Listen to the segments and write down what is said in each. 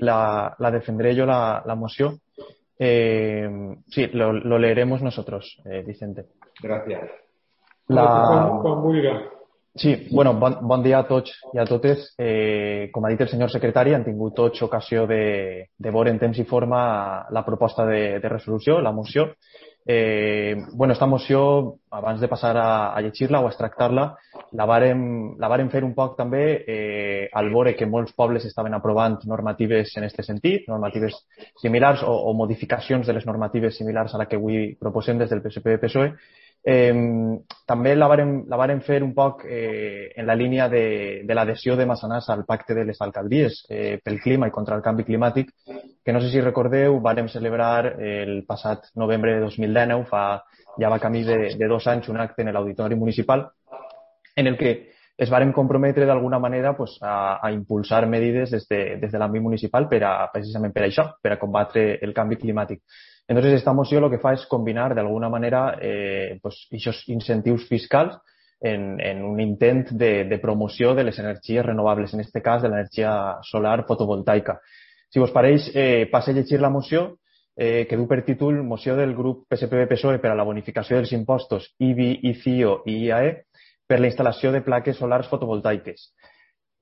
la defenderé yo la moción. Sí, lo leeremos nosotros, Vicente. Gràcies. Quan vulga. Sí, bueno, bon dia a tots i a totes. Com ha dit el senyor secretari, han tingut tots ocasió de veure en temps i forma la proposta de resolució, la moció. Bueno, esta moció, abans de passar a llegir-la o a extractar-la, la vàrem fer un poc també al veure que molts pobles estaven aprovant normatives en aquest sentit, normatives similars o modificacions de les normatives similars a la que avui proposem des del PSPV-PSOE. També la vàrem fer un poc en la línia de l'adhesió de Massanassa al pacte de les alcaldies pel clima i contra el canvi climàtic, que no sé si recordeu, vàrem celebrar el passat novembre de 2019, ja va camí de 2 anys, un acte en l'Auditori Municipal en el que es varen comprometre d'alguna manera a impulsar medides des de l'àmbit municipal precisament per això, per a combatre el canvi climàtic. Entonces, esta moció el que fa és combinar d'alguna manera aquests incentius fiscals en un intent de promoció de les energies renovables, en aquest cas de l'energia solar fotovoltaica. Si vos pareix, passe a llegir la moció que du per títol Moció del grup PSPV-PSOE per a la bonificació dels impostos IBI, ICIO i IAE per la instal·lació de plaques solars fotovoltaiques.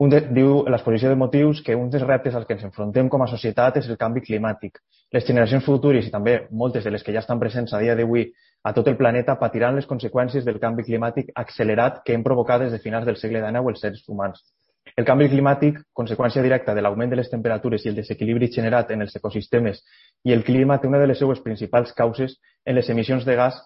Diu en l'exposició de motius que un dels reptes als que ens enfrontem com a societat és el canvi climàtic. Les generacions futures i també moltes de les que ja estan presents a dia d'avui a tot el planeta patiran les conseqüències del canvi climàtic accelerat que hem provocat des de finals del segle XIX els seres humans. El canvi climàtic, conseqüència directa de l'augment de les temperatures i el desequilibri generat en els ecosistemes i el clima, té una de les seues principals causes en les emissions de gas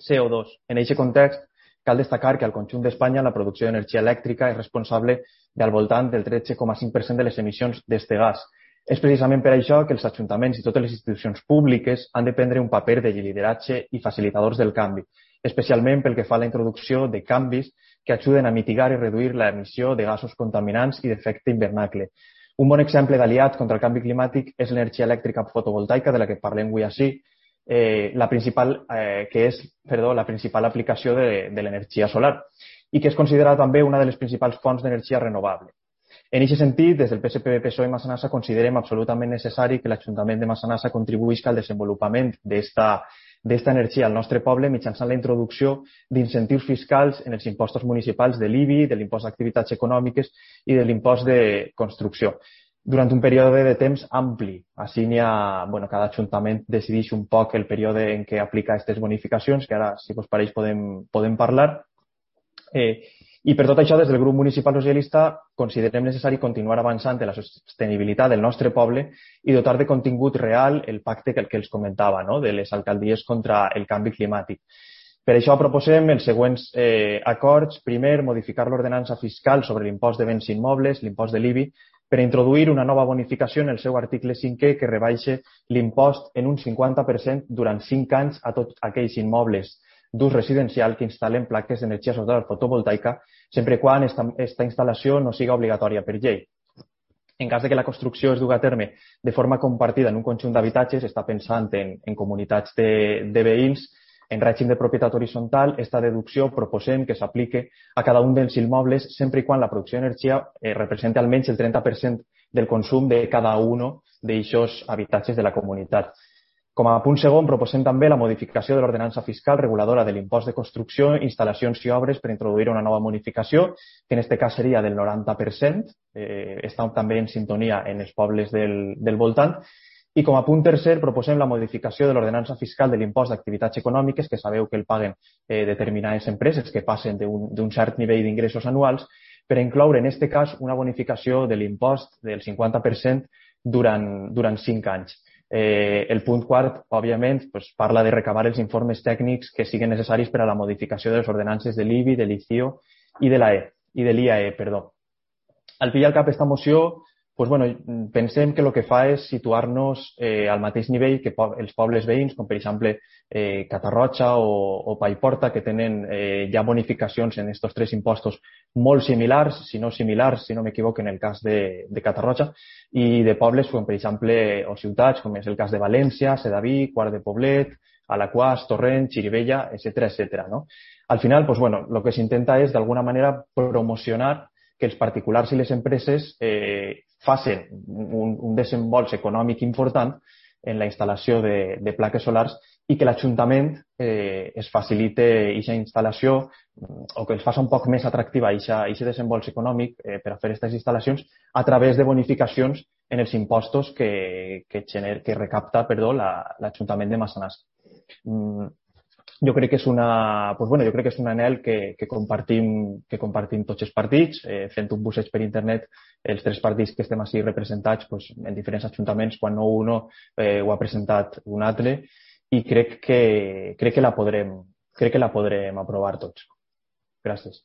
CO2. En aquest context, cal destacar que al conjunt d'Espanya la producció d'energia elèctrica és responsable del voltant del 13,5% de les emissions d'aquest gas. És precisament per això que els ajuntaments i totes les institucions públiques han de prendre un paper de lideratge i facilitadors del canvi, especialment pel que fa a la introducció de canvis que ajuden a mitigar i reduir l'emissió de gasos contaminants i d'efecte hivernacle. Un bon exemple d'aliat contra el canvi climàtic és l'energia elèctrica fotovoltaica, de la que parlem avui ací, la principal aplicació de l'energia solar i que és considerada també una de les principals fonts d'energia renovable. En aquest sentit, des del PSPV-PSOE i Massanassa considerem absolutament necessari que l'Ajuntament de Massanassa contribuïsca al desenvolupament d'esta energia al nostre poble mitjançant la introducció d'incentius fiscals en els impostos municipals de l'IBI, de l'impost d'activitats econòmiques i de l'impost de construcció, durant un període de temps ampli. Així cada ajuntament decideix un poc el període en què aplica aquestes bonificacions, que ara, si us pareix, podem parlar. I per tot això, des del grup municipal socialista, considerem necessari continuar avançant en la sostenibilitat del nostre poble i dotar de contingut real el pacte que els comentava, de les alcaldies contra el canvi climàtic. Per això proposem els següents acords. Primer, modificar l'ordenança fiscal sobre l'impost de béns immobles, l'impost de l'IBI, per introduir una nova bonificació en el seu article 5è que rebaixa l'impost en un 50% durant 5 anys a tots aquells immobles d'ús residencial que instal·len plaques d'energia solar fotovoltaica, sempre quan aquesta instal·lació no siga obligatòria per llei. En cas que la construcció es dugui a terme de forma compartida en un conjunt d'habitatges, està pensant en comunitats de veïns, en règim de propietat horitzontal, aquesta deducció proposem que s'aplique a cada un dels immobles sempre i quan la producció d'energia representi almenys el 30% del consum de cada un d'aquests habitatges de la comunitat. Com a punt segon, proposem també la modificació de l'ordenança fiscal reguladora de l'impost de construcció, instal·lacions i obres per introduir una nova bonificació, que en aquest cas seria del 90%, està també en sintonia en els pobles del voltant. I com a punt tercer, proposem la modificació de l'ordenança fiscal de l'impost d'activitats econòmiques, que sabeu que el paguen determinades empreses que passen d'un cert nivell d'ingressos anuals, per incloure en aquest cas una bonificació de l'impost del 50% durant 5 anys. El punt quart, òbviament, parla de recabar els informes tècnics que siguin necessaris per a la modificació de les ordenances de l'IBI, de l'ICIO i de l'IAE. Al fi i al cap, aquesta moció, pensem que el que fa és situar-nos al mateix nivell que els pobles veïns, com per exemple Catarroja o Paiporta, que tenen ja bonificacions en aquests 3 impostos molt similars, si no m'equivoco, en el cas de Catarroja, i de pobles com per exemple o ciutats, com és el cas de València, Sedaví, Quart de Poblet, Alaquàs, Torrent, Xirivella, etc. Al final, el que s'intenta és d'alguna manera promocionar que els particulars i les empreses facin un desembolс econòmic important en la instal·lació de plaques solars i que l'Ajuntament es facilite aquesta instal·lació o que els faci un poc més atractiva aquest desembolс econòmic per a fer aquestes instal·lacions a través de bonificacions en els impostos que recapta l'Ajuntament de Massanassa. Jo crec que és un anhel que compartim tots els partits, fent un busseig per internet, els 3 partits que estem així representats en diferents ajuntaments, quan no un ho ha presentat un altre, i crec que la podrem aprovar tots. Gràcies.